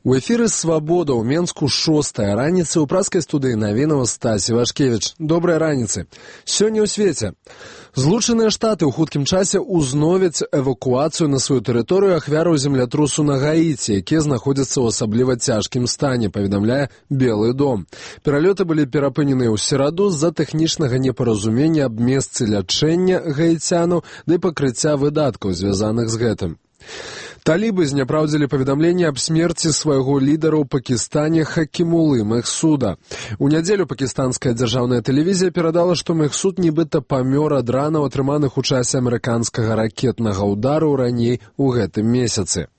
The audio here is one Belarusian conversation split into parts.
У эфіры «Свабода» ў Менску 6-я раніцы ў праскай студыі навінаў Стасі Вашкевіч. Добрай раніцы. Сёння ў свеце. Злучаныя Штаты ў хуткім часе ўзновяць эвакуацыю на сваю тэрыторыю ахвяраў землятрусу на Гаіці, якія знаходзяцца ў асабліва цяжкім стане, паведамляе Белы дом. Пералёты былі перапыненыя ў сераду з-за тэхнічнага непаразумення аб месцы лячэння гаіцянаў ды пакрыцця выдаткаў, звязаных з гэтым. Талібы зняпраўдзілі паведамленне аб смерці свайго лідара ў Пакістане Хакімулы Мехсуда. У нядзелю пакістанская дзяржаўная тэлевізія перадала, што Мехсуд нібыта памёр ад ранаў, атрыманых у часе амерыканскага ракетнага ўдару раней у гэтым месяцы.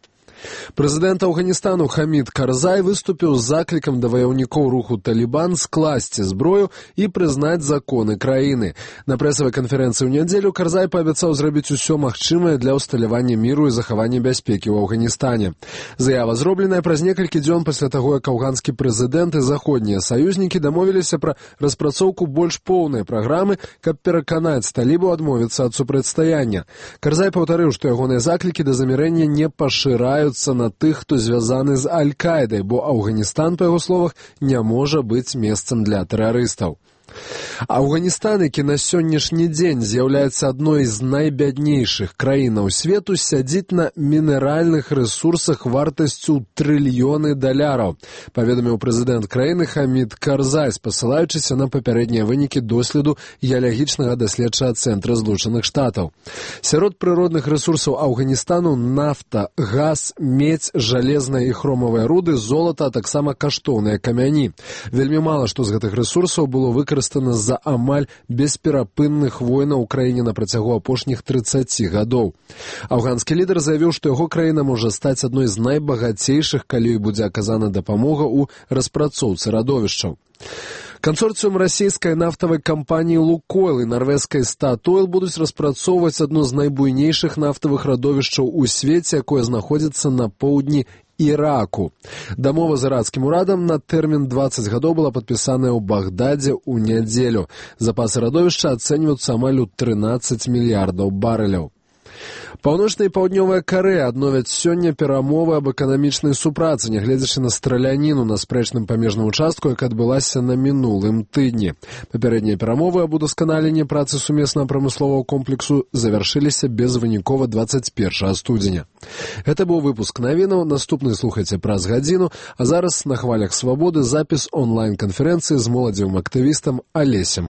Прэзідэнт Афганістану Хамід Карзай выступіў з заклікам да ваяўнікоў руху «Талібан» скласці зброю і прызнаць законы краіны. На прэсавай канферэнцыі ў нядзелю Карзай паабяцаў зрабіць усё магчымае для ўсталявання міру і захавання бяспекі ў Афганістане. Заява зробленая праз некалькі дзён пасля таго, як афганскі прэзідэнт і заходнія саюзнікі дамовіліся пра распрацоўку больш поўнай праграмы, каб пераканаць талібаў адмовіцца ад супрацьстаяння. Карзай паўтарыў, што ягоныя заклікі да замірэння не пашыраюцца на тых, хто звязаны з Аль-Кайдай, бо Афганістан, па яго словах, не можа быць месцам для тэрарыстаў. Афганістан, які на сённяшні дзень з'яўляецца адной з найбяднейшых краінаў свету, сядзіць на мінеральных рэсурсах вартасцю трыльёны даляраў, паведаміў прэзідэнт краіны Хамід Карзай, спасылаючыся на папярэднія вынікі доследу геалагічнага даследчага цэнтра Злучаных Штатаў. Сярод прыродных рэсурсаў Афганістану нафта, газ, медзь, жалезная і хромавыя руды, золата, а таксама каштоўныя камяні. Вельмі мала што з гэтых рэсурсаў было выкарыстана з-за амаль бесперапынных войнаў у краіне на працягу апошніх 30 гадоў. Афганскі лідар заявіў, што яго краіна можа стаць адной з найбагацейшых, калі будзе аказана дапамога ў распрацоўцы радовішчаў. Кансорцыум расійскай нафтавай кампаніі «Лукойл» і нарвежскай «Статойл» будуць распрацоўваць адно з найбуйнейшых нафтавых радовішчаў у свеце, якое знаходзіцца на поўдні Іраку. Дамова з іракскім урадам на тэрмін 20 гадоў была падпісаная ў Багдадзе ў нядзелю. Запасы радовішча ацэньваюцца амаль у 13 мільярдаў барэляў. Паўночная і паўднёвая Карэя адновяць сёння перамовы аб эканамічнай супрацы, нягледзячы на страляніну на спрэчным памежным участку, якая адбылася на мінулым тыдні. Папярэднія перамовы аб удасканаленні працы сумеснага прамысловага комплексу завяршыліся безвынікова 21 студзеня. Гэта быў выпуск навінаў, наступны слухайце праз гадзіну, а зараз на хвалях «Свабоды» запіс онлайн-канферэнцыі з моладзевым актывістам Алесем